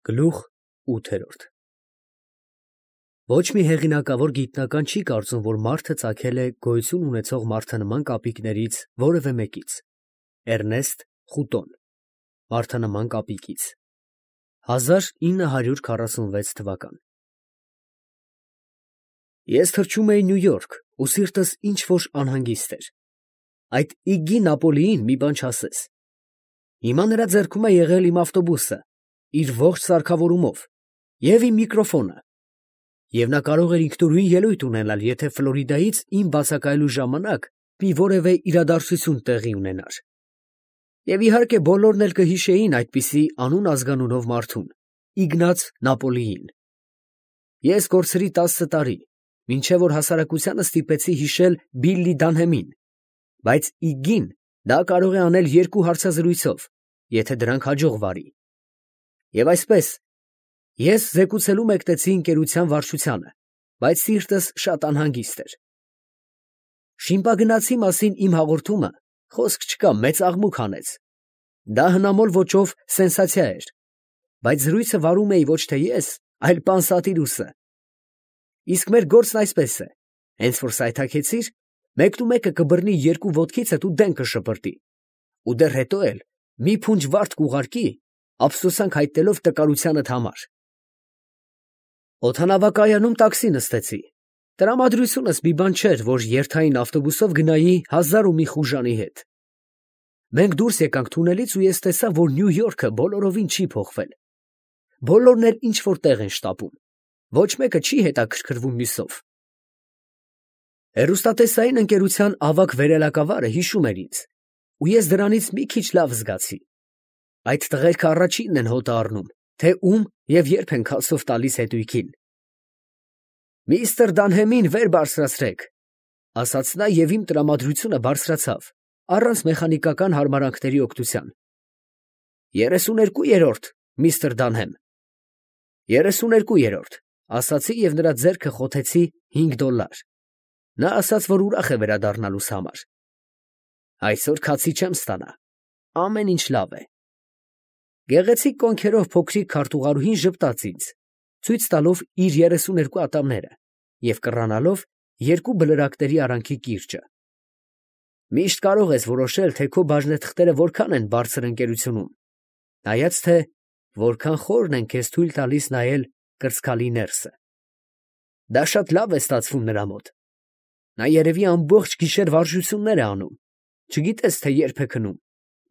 Գլուխ 8 Ոչ մի հեղինակավոր գիտնական չի կարծում, որ մարդը ծագել է գոյություն ունեցող մարդանման կապիկներից որևէ մեկից։ Էրնեստ Խուտոն, Մարդանման կապիկից 1946 թվական։ Ես թռչում էի Նյու Յորք ու սիրտս ինչ-որ անհանգիստ էր։ Այդ Իգգի Նապոլիին մի բան չասես։ Հիմա նրա ձեռքում է եղել իմ ավտոբուսը, իր ողջ սարքավորումով, և իմ միկրոֆոնը, և նա կարող էր ինքնուրույն ելույթ ունենալ, եթե Ֆլորիդայից իմ բացակայելու ժամանակ մի որևէ իրադարձություն տեղի ունենար։ Եվ իհարկե բոլորն էլ կհիշեին այդպիսի անուն-ազգանունով մարդուն՝ Իգնաց Նապոլիին։ Ես կորցրի 10 տարի, մինչև որ հասարակությանը ստիպեցի հիշել Բիլլի Դանհեմին, բայց Իգգին դա կարող է անել 2 հարցազրույցով, եթե դրանք հաջող վարի։ Եվ այսպես, ես զեկուցելու մեկնեցի ընկերության վարչությանը, բայց սիրտս շատ անհանգիստ էր։ Շիմպագնացի մասին իմ հաղորդումը, խոսք չկա, մեծ աղմուկ հանեց։ Դա հնամոլ ոճով սենսացիա էր, բայց զրույցը վարում էի ոչ թե ես, այլ Պանսատիրուսը։ Իսկ մեր գործն այսպես է. հենց որ սայթաքեցիր, մեկնումեկը կբռնի 2 ոտքիցդ ու դեն կշպրտի, ու դեռ հետո էլ մի փունջ վարդ կուղարկի, ափսոսանք հայտնելով տկարությանդ համար։ Օդանավակայանում տաքսի նստեցի։ Տրամադրությունս մի բան չէր, որ երթային ավտոբուսով գնայի 1000 ու մի խուժանի հետ։ Մենք դուրս եկանք թունելից ու ես տեսա, որ Նյու Յորքը բոլորովին չի փոխվել։ Բոլորն էլ ինչ-որ տեղ են շտապում։ Ոչ մեկը չի հետաքրքրվում մյուսով։ Հեռուստատեսային ընկերության ավագ վերելակավարը հիշում էր ինձ, ու ես դրանից մի քիչ լավ զգացի։ Այդ տղերքը առաջինն են հոտը առնում, թե ում և երբ են քասով տալիս հետույքին։ «Միստր Դանհեմին վեր բարձրացրեք», ասաց նա և իմ տրամադրությունը բարձրացավ, առանց մեխանիկական հարմարանքների օգնության։ 32-րդ, միստր Դանհեմ։ 32-րդ, ասացի և նրա ձեռքը խոթեցի $5։ Նա ասաց, որ ուրախ է վերադառնալուս համար։ Այսօր քացի չեմ ստանա, ամեն ինչ լավ է։ Գեղեցիկ կոնքերով փոքրիկ քարտուղարուհին ժպտաց ինձ, ցույց տալով իր 32 ատամները և կռանալով 2 բլրակների արանքի կիրճը։ Միշտ կարող ես որոշել, թե քո բաժնեթղթերը որքան են բարձր ընկերությունում, նայած թե որքան խորն են քեզ թույլ տալիս նայել կրծքալի ներսը։ Դա շատ լավ է ստացվում նրա մոտ։ Նա երևի ամբողջ գիշեր վարժություններ է անում, չգիտես, թե երբ է քնում,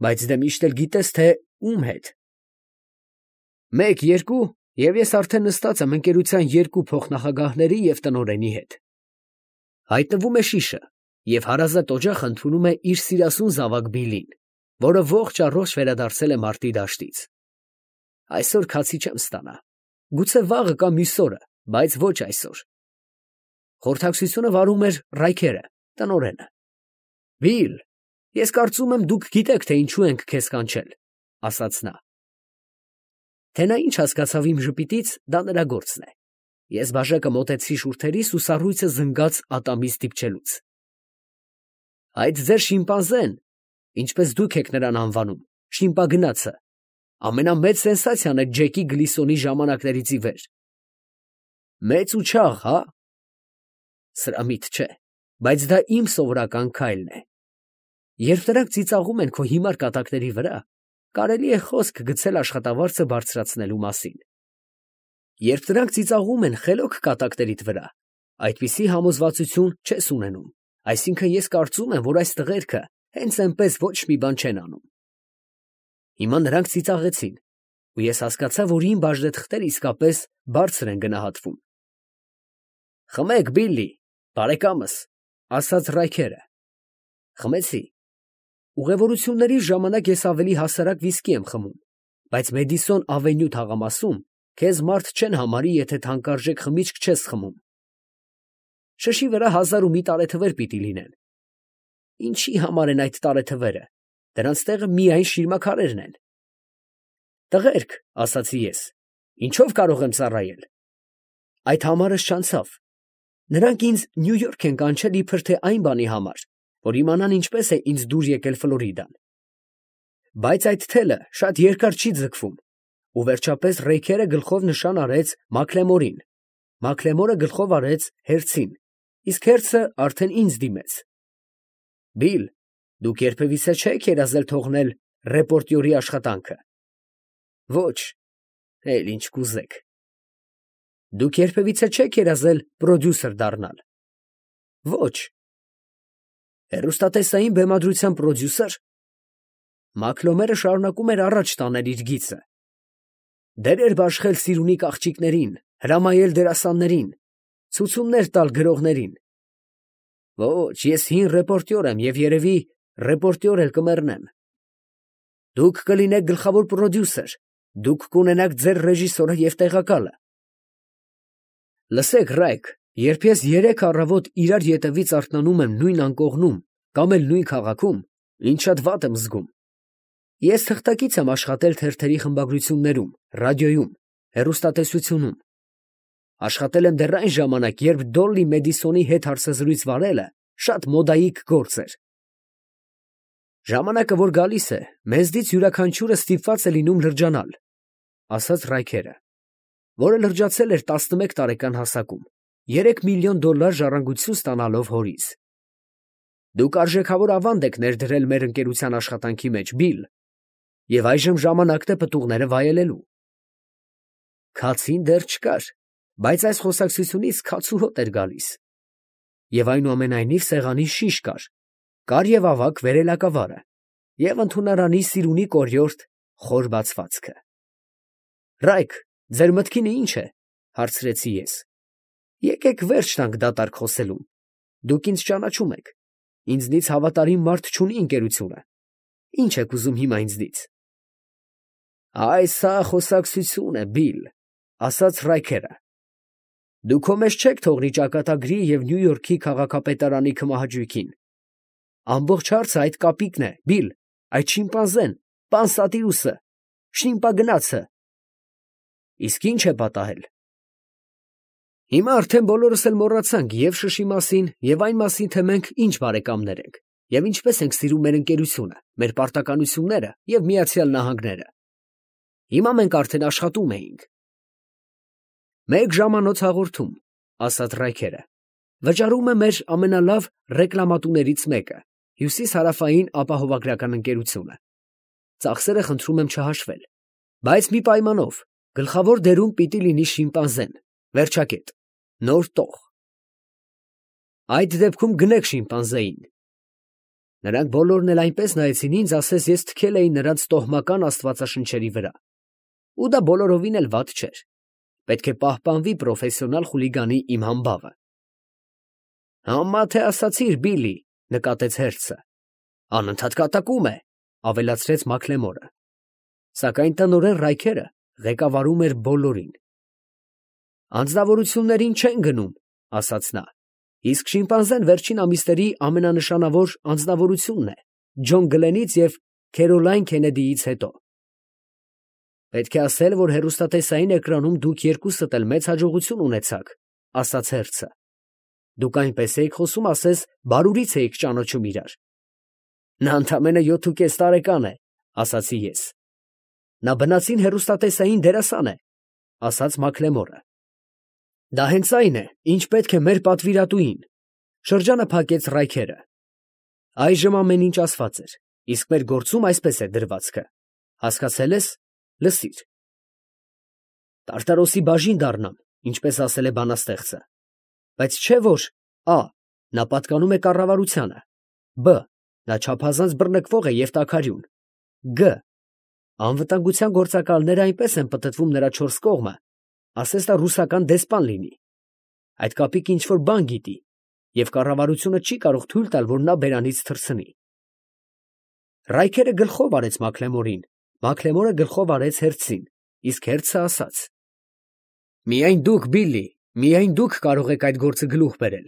բայց դե միշտ էլ գիտես, թե ում հետ։ 1-2, և ես արդեն նստած եմ ընկերության 2 փոխնախագահների և տնօրենի հետ։ Հայտնվում է շիշը, և հարազատ օջախը ընդունում է իր սիրասուն զավակ Բիլլին, որը ողջ առողջ վերադարձել է մարտի դաշտից։ Այսօր քացի չեմ ստանա, գուցե վաղը կամ մյուս օրը, բայց ոչ այսօր։ Խորհրդակցությունը վարում էր Ռայքերը, տնօրենը։ Բիլ, ես կարծում եմ, դուք գիտեք, թե ինչու ենք քեզ կանչել, ասաց նա։ Թե նա ինչ հասկացավ իմ ժպիտից, դա նրա գործն է։ Ես բաժակը մոտեցրի շուրթերիս ու սառույցը զնգաց ատամից դիպչելուց։ Այդ ձեր շիմպանզեն, ինչպես դուք եք նրան անվանում, շիմպագնացը, ամենամեծ սենսացիան է Ջեկի Գլիսոնի ժամանակներից ի վեր։ Մեծ ու չաղ, հա։ Սրամիտ չէ, բայց դա իմ սովորական քայլն է։ Երբ նրանք ծիծաղում են քո հիմար կատակների վրա, կարելի է խոսք գցել աշխատավարձը բարձրացնելու մասին։ Երբ նրանք ծիծաղում են խելոք կատակներիդ վրա, այդպիսի համոզվածություն չես ունենում, այսինքն ես կարծում եմ, որ այս տղերքը հենց այնպես ոչ մի բան չեն անում։ Հիմա նրանք ծիծաղեցին, ու ես հասկացա, որ իմ բաժնեթղթերը իսկապես բարձր են գնահատվում։ Խմեք, Բիլլի, բարեկամս, ասաց Ռայքերը։ Խմեցի։ Ուղևորությունների ժամանակ ես ավելի հասարակ վիսկի եմ խմում, բայց Մեդիսոն ավենյու թաղամասում քեզ մարդ չեն համարի, եթե թանկարժեք խմիչք չես խմում։ Շշի վրա 1001 տարեթվեր պիտի լինեն։ Ինչի համար են այդ տարեթվերը, դրանց տեղը միայն շիրմաքարերն են։ Տղերք, ասացի ես, ինչով կարող եմ ծառայել։ Այդ համարս չանցավ։ Նրանք ինձ Նյու Յորք են կանչել իբր թե այն բանի համար, որ իմանան ինչպես է ինձ դուր եկել Ֆլորիդան։ Բայց այդ թելը շատ երկար չի ձգվում, ու վերջապես Ռեյքերը գլխով նշան արեց Մաքլեմորին, Մաքլեմորը գլխով արեց Հերցին, իսկ Հերցը արդեն ինձ դիմեց։ Բիլ, դուք երբևիցե չեք երազել թողնել ռեպորտյորի աշխատանքը։ Ոչ, էլ ինչ կուզեք։ Դուք երբևիցե չեք երազել պրոդյուսեր դառնալ։ Ոչ։ Հեռուստատեսային բեմադրության պրոդյուսեր։ Մաքլոմերը շարունակում էր առաջ տանել իր գիծը։ Դերեր բաշխել սիրունի աղջիկներին, հրամայել դերասաններին, ցուցումներ տալ գրողներին։ Ոչ, ես հին ռեպորտյոր եմ և երևի ռեպորտյոր էլ կմեռնեմ։ Դուք կլինեք գլխավոր պրոդյուսեր, դուք կունենաք ձեր ռեժիսորը և տեղակալը։ Լսեք, Ռայք, երբ ես 3 առավոտ իրար ետևից արթնանում եմ նույն անկողնում կամ էլ նույն քաղաքում, ինձ շատ վատ եմ զգում։ Ես թղթակից եմ աշխատել թերթերի խմբագրություններում, ռադիոյում, հեռուստատեսությունում։ Աշխատել եմ դեռ այն ժամանակ, երբ Դոլլի Մեդիսոնի հետ հարցազրույց վարելը շատ մոդայիկ գործ էր։ Ժամանակը, որ գալիս է, մեզնից յուրաքանչյուրը ստիպված է լինում լրջանալ, ասաց Ռայքերը, որը լրջացել էր 11 տարեկան հասակում, $3 միլիոն ժառանգություն ստանալով հորից։ Դուք արժեքավոր ավանդ եք ներդրել մեր ընկերության աշխատանքի մեջ, Բիլ, և այժմ ժամանակն է պտուղները վայելելու։ Քացին դեռ չկար, բայց այս խոսակցությունից քաց ու հոտ էր գալիս։ Եվ այնուամենայնիվ սեղանին շիշ կար և ավագ վերելակավարը, և ընդունարանի սիրունի կորյորթ խոր բացվածքը։ Ռայք, ձեր մտքինը ի՞նչ է, հարցրեցի ես։ Եկեք վերջ տանք դատարկ խոսելուն։ Դուք ինձ ճանաչում եք։ Ինձնից հավատարիմ մարդ չունի ընկերությունը։ Ի՞նչ եք ուզում հիմա ինձնից։ Այս սա խոսակցություն է, Բիլ, ասաց Ռայքերը։ Դու քո մեջ չեք թողնի ճակատագրի և Նյու Յորքի քաղաքապետարանի քմահաճույքին։ Ամբողջ հարցը այդ կապիկն է, Բիլ, այդ շիմպանզեն, Պանսատիրուսը, շիմպագնացը։ Իսկ ի՞նչ է պատահել։ Հիմա արդեն բոլորս էլ մոռացանք և շշի մասին, և այն մասին, թե մենք ինչ բարեկամներ ենք, և ինչպես ենք սիրում մեր ընկերությունը, մեր պարտականությունները և Միացյալ Նահանգները։ Հիմա մենք արդեն աշխատում էինք։ Մեկ ժամանոց հաղորդում, ասաց Ռայքերը, վճարում է մեր ամենալավ ռեկլամատուներից մեկը, Հյուսիս-հարավային ապահովագրական ընկերությունը։ Ծախսերը խնդրում եմ չհաշվել, բայց մի պայմանով, գլխավոր դերում պիտի լինի շիմպանզեն, վերջակետ, նոր տող։ Այդ դեպքում գնեք շիմպանզեին։ Նրանք բոլորն էլ այնպես նայեցին ինձ, ասես ես թքել էի նրանց տոհմական աստվածաշնչերի վրա։ Ու դա բոլորովին էլ վատ չէր։ Պետք է պահպանվի պրոֆեսիոնալ խուլիգանի իմ համբավը։ Համա թե ասացիր, Բիլի, նկատեց Հերցը։ Անընդհատ կատակում է, ավելացրեց Մաքլեմորը։ Սակայն տնօրեն Ռայքերը ղեկավարում էր բոլորին։ Անձնավորություններին չեն գնում, ասաց նա, իսկ շիմպանզեն վերջին ամիսների ամենանշանավոր անձնավորությունն է, Ջոն Գլենից և Քերոլայն Քենեդիից հետո։ Պետք է ասել, որ հեռուստատեսային էկրանում դուք երկուսդ էլ մեծ հաջողություն ունեցաք, ասաց Հերցը։ Դուք այնպես էիք խոսում, ասես բարուրից էիք ճանաչում իրար։ Նա ընդամենը 7.5 տարեկան է, ասացի ես։ Նա բնածին հեռուստատեսային դերասան է, ասաց Մաքլեմորը։ Դա հենց այն է, ինչ պետք է մեր պատվիրատուին, շրջանը փակեց Ռայքերը։ Այժմ ամեն ինչ ասված էր, իսկ մեր գործում այսպես է դրվածքը։ Հասկացել ես, լսիր։ Տարտարոսի բաժին դառնամ, ինչպես ասել է բանաստեղծը, բայց չէ որ Ա. Նա պատկանում է կառավարությանը, Բ. Նա չափազանց բռնկվող է և տաքարյուն, Գ. Անվտանգության գործակալները այնպես են պտտվում նրա 4 կողմը, ասես նա ռուսական դեսպան լինի։ Այդ կապիկը ինչ-որ բան գիտի, և կառավարությունը չի կարող թույլ տալ, որ նա բերանից թռցնի։ Ռայքերը գլխով արեց Մաքլեմորին, Մաքլեմորը գլխով արեց Հերցին, իսկ Հերցը ասաց. Միայն դուք, Բիլլի, միայն դուք կարող եք այդ գործը գլուխ բերել։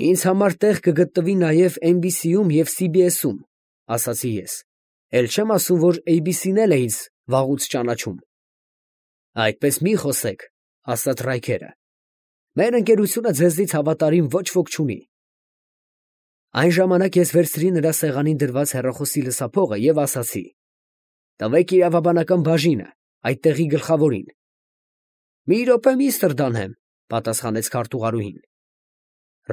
Ինձ համար տեղ կգտնվի նաև NBC-ում և CBS-ում, ասացի ես, էլ չեմ ասում, որ ABC-ն էլ է ինձ վաղուց ճանաչում։ Այդպես մի խոսեք, ասաց Ռայքերը։ Մեր ընկերությունը ձեզնից հավատարիմ ոչ ոք չունի։ Այն ժամանակ ես վերցրի նրա սեղանին դրված հեռախոսի լսափողը և ասացի. Տվեք իրավաբանական բաժինը, այդտեղի գլխավորին։ Մի րոպե, միստր Դանհեմ, պատասխանեց քարտուղարուհին։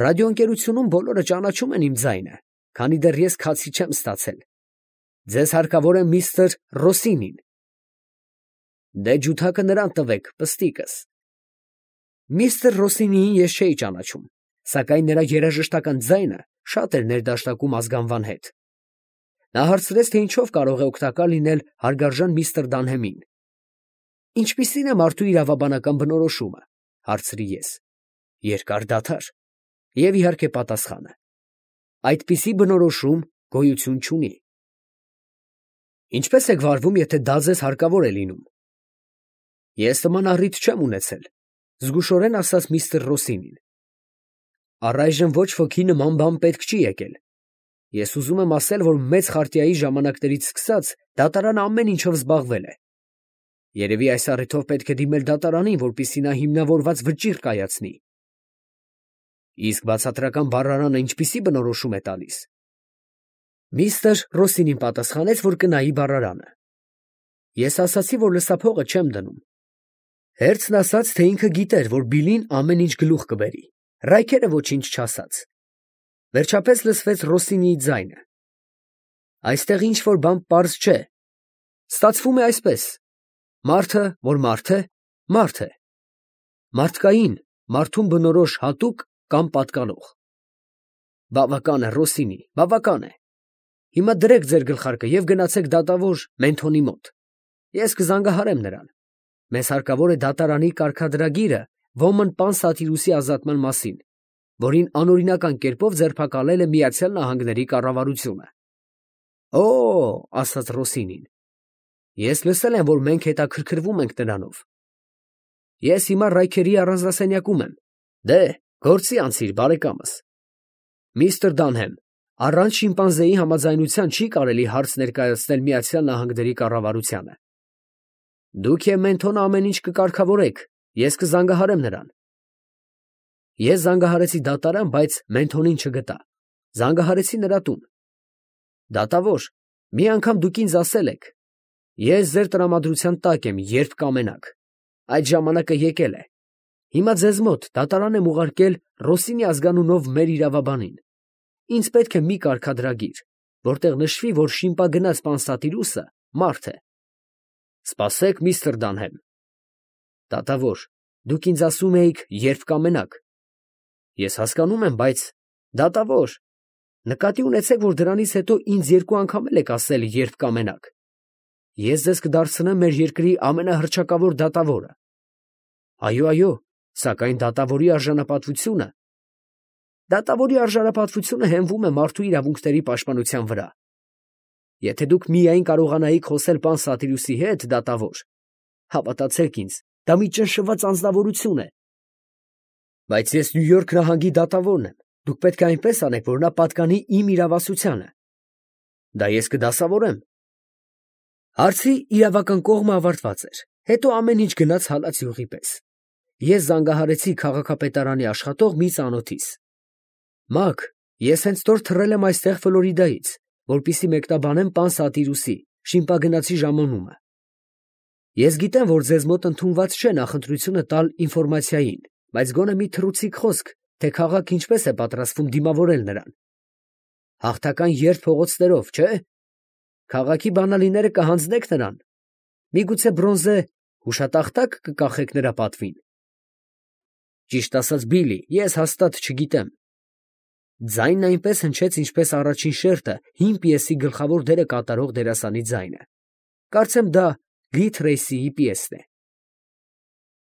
Ռադիոընկերությունում բոլորը ճանաչում են իմ ձայնը, քանի դեռ ես քացի չեմ ստացել։ Ձեզ հարկավոր է միստր Ռոսինին։ Դե ջութակը նրան տվեք, պստիկս։ Միստր Ռոսինիին ես չէի ճանաչում, սակայն նրա երաժշտական ձայնը շատ էր ներդաշնակում ազգանվան հետ։ Նա հարցրեց, թե ինչով կարող է օգտակար լինել հարգարժան միստր Դանհեմին։ Ինչպիսին է մարդու իրավաբանական բնորոշումը, հարցրի ես։ Երկար դադար։ Եվ իհարկե պատասխանը։ Այդպիսի բնորոշում գոյություն չունի։ Ինչպես եք վարվում, եթե դա ձեզ հարկավոր է լինում։ Ես նման առիթ չեմ ունեցել, զգուշորեն ասաց միստր Ռոսինին։ Առայժմ ոչ ոքի նման բան պետք չի եկել։ Ես ուզում եմ ասել, որ մեծ խարտիայի ժամանակներից սկսած դատարանը ամեն ինչով զբաղվել է։ Երևի այս առիթով պետք է դիմել դատարանին, որպեսզի նա հիմնավորված վճիռ կայացնի։ Իսկ բացատրական բառարանը ինչպիսի բնորոշում է տալիս։ Միստր Ռոսինին պատասխանեց, որ կնայի բառարանը։ Ես ասացի, որ լսափողը չեմ դնում։ Հերցն ասաց, թե ինքը գիտեր, որ Բիլին ամեն ինչ գլուխ կբերի, Ռայքերը ոչինչ չասաց։ Վերջապես լսվեց Ռոսինիի ձայնը։ Այստեղ ինչ որ բան պարզ չէ։ Ստացվում է այսպես. մարդը, որ մարդ է, մարդ է։ Մարդկային, մարդուն բնորոշ հատուկ կամ պատկանող։ Բավական է, Ռոսինի, բավական է։ Հիմա դրեք ձեր գլխարկը և գնացեք դատավոր Մենթոնի մոտ։ Ես կզանգահարեմ նրան։ Մեզ հարկավոր է դատարանի կարգադրագիրը Ոմն պան Սատիրուսի ազատման մասին, որին անօրինական կերպով ձերբակալել է Միացյալ Նահանգների կառավարությունը։ Օ, ասաց Ռոսինին, ես լսել եմ, որ մենք հետաքրքրվում ենք նրանով։ Ես հիմա Ռայքերի առանձնասենյակում եմ։ Դե, գործի անցիր, բարեկամս։ Միստր Դանհեմ, առանց շիմպանզեի համաձայնության չի կարելի հարց ներկայացնել Միացյալ Նահանգների կառավարությանը։ Դուք և Մենթոնը ամեն ինչ կկարգավորեք, ես կզանգահարեմ նրան։ Ես զանգահարեցի դատարան, բայց Մենթոնին չգտա։ Զանգահարեցի նրա տուն։ Դատավոր, մի անգամ դուք ինձ ասել եք. ես ձեր տրամադրության տակ եմ, երբ կամենաք։ Այդ ժամանակը եկել է։ Հիմա ձեզ մոտ դատարան եմ ուղարկել Ռոսինի ազգանունով մեր իրավաբանին։ Ինձ պետք է մի կարգադրագիր, որտեղ նշվի, որ շիմպագնաց պան Սատիրուսը մարդ է։ Սպասեք, միստր Դանհեմ։ Դատավոր, դուք ինձ ասում էիք, երբ կամենաք։ Ես հասկանում եմ, բայց դատավոր, նկատի ունեցեք, որ դրանից հետո ինձ երկու անգամ եք ասել, երբ կամենաք։ Ես ձեզ կդարձնեմ մեր երկրի ամենահռչակավոր դատավորը։ Այո, սակայն դատավորի արժանապատվությունը։ Դատավորի արժանապատվությունը հենվում է մարդու իրավունքների պաշտպանության վրա։ Եթե դուք միայն կարողանայիք խոսել պան Սատիրուսի հետ, դատավոր, հավատացեք ինձ, դա մի ճնշված անձնավորություն է։ Բայց ես Նյու Յորք նահանգի դատավորն եմ, դուք պետք է այնպես անեք, որ նա պատկանի իմ իրավասությանը։ Դա ես կդասավորեմ։ Հարցի իրավական կողմը ավարտված էր, հետո ամեն ինչ գնաց հալած յուղի պես։ Ես զանգահարեցի քաղաքապետարանի աշխատող մի ծանոթիս։ Մակ, ես հենց նոր թռել եմ այստեղ Ֆլորիդայից, որպեսզի մեկնաբանեմ պան Սատիրուսի շիմպագնացի ժամանումը։ Ես գիտեմ, որ ձեզ մոտ ընդունված չէ նախընտրությունը տալ ինֆորմացիային, բայց գոնե մի թռուցիկ խոսք, թե քաղաքը ինչպես է պատրաստվում դիմավորել նրան։ Հաղթական երթ փողոցներով, չէ՞։ Քաղաքի բանալիները կհանձնեք նրան։ Միգուցե բրոնզե հուշատախտակ կկախեք նրա պատվին։ Ճիշտ ասած, Բիլի, ես հաստատ չգիտեմ։ Ձայնն այնպես հնչեց, ինչպես առաջին շերտը հին պիեսի գլխավոր դերը կատարող դերասանի ձայնը։ Կարծեմ դա Գի Թրեյսիի պիեսն է։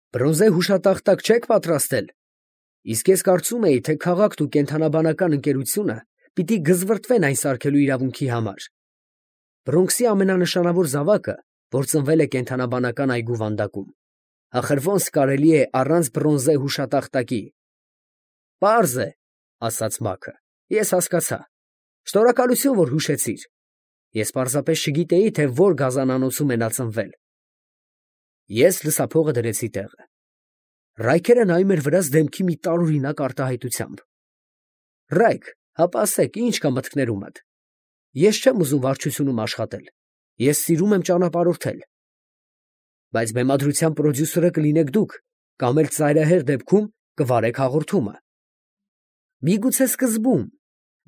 Բրոնզե հուշատախտակ չեք պատրաստել։ Իսկ ես կարծում էի, թե քաղաքն ու կենդանաբանական ընկերությունը պիտի գզվրտվեն այն սարքելու իրավունքի համար։ Բրոնքսի ամենանշանավոր զավակը, որ ծնվել է կենդանաբանական այգու վանդակում, ախր ոնց կարելի է առանց բրոնզե հուշատախտակի։ Պարզ է, ասաց Մաքը, ես հասկացա։ Շնորհակալություն, որ հուշեցիր։ Ես պարզապես չգիտեի, թե որ գազանանոցում է նա ծնվել։ Ես լսափողը դրեցի տեղը։ Ռայքերը նայում էր վրաս դեմքի մի տարօրինակ արտահայտությամբ։ Ռայք, հապա ասեք, ինչ կա մտքներումդ։ Ես չեմ ուզում վարչությունում աշխատել։ Ես սիրում եմ ճանապարհորդել։ Բայց բեմադրության պրոդյուսերը կլինեք դուք, կամ էլ ծայրահեղ դեպքում կվարեք հաղորդումը։ Միգուցե սկզբում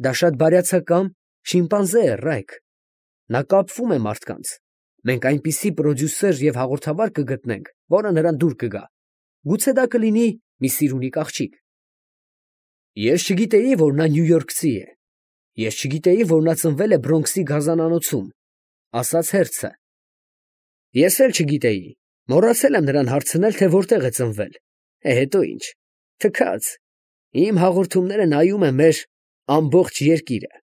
դա շատ բարյացակամ շիմպանզե է, Ռայք։ Նա կապվում է մարդկանց։ Մենք այնպիսի պրոդյուսեր և հաղորդավար կգտնենք, որը նրան դուր կգա։ Գուցե դա կլինի մի սիրունիկ աղջիկ։ Ես չգիտեի, որ նա նյույորքցի է։ Ես չգիտեի, որ նա ծնվել է Բրոնքսի գազանանոցում, ասաց հերձը։ Ես էլ չգիտեի, մոռացել եմ նրան հարցնել, թե որտեղ է ծնվել։ Հետո ինչ, թքած, իմ հաղորդումները նայում է մեր ամբողջ երկիրը։